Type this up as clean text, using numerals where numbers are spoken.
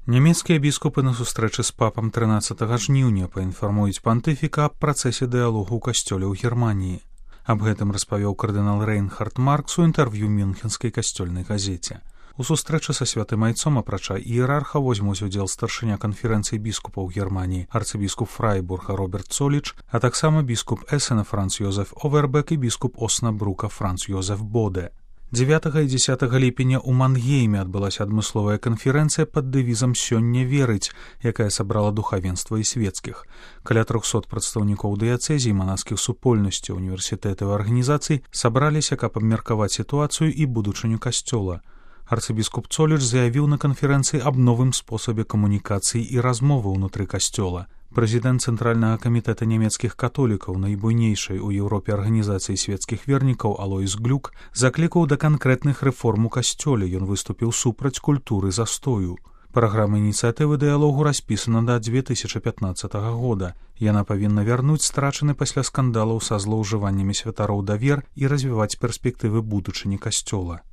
Нямецкія біскупы на сустрэчы з папам 13 жніўня паінфармуюць пантыфіка аб працэсе дыялогу ў касцёле ў Германіі. Аб гэтым распавёў кардынал Рейнхард Маркс у інтэрв'ю мюнхенскай касцёльнай газеце. У сустрэчы са святым айцом, апрача іерарха, возьмуць удзел старшыня канферэнцыі біскупаў Германіі, арцыбіскуп Фрайбурга Роберт Цоліч, а таксама біскуп Эсена Франц Йозеф Овербек і біскуп Оснабрука Франц Йозеф Боде. 9 і 10 ліпеня ў Мангейме адбылася адмысловая канферэнцыя пад дэвізам «Сёння верыць», якая сабрала духавенства і свецкіх. Каля 300 прадстаўнікоў дыяцэзій, манаскіх супольнасцяў, універсітэтаў і арганізацый сабраліся, каб абмеркаваць сітуацыю і будучыню касцёла. Арцыбіскуп Цоліч заявіў на канферэнцыі аб новым спосабе камунікацыі і размовы ўнутры касцёла. Прэзідэнт Цэнтральнага камітэта нямецкіх католікаў, найбуйнейшай у Еўропе арганізацыі свецкіх вернікаў Алойс Глюк, заклікаў да канкрэтных рэформ у касцёле. Ён выступіў супраць культуры застою. Праграма ініцыятывы дыялогу распісана да 2015 года. Яна павінна вярнуць страчаны пасля скандалаў са злоўжываннямі святароў давер і развіваць перспектывы будучыні касцёла.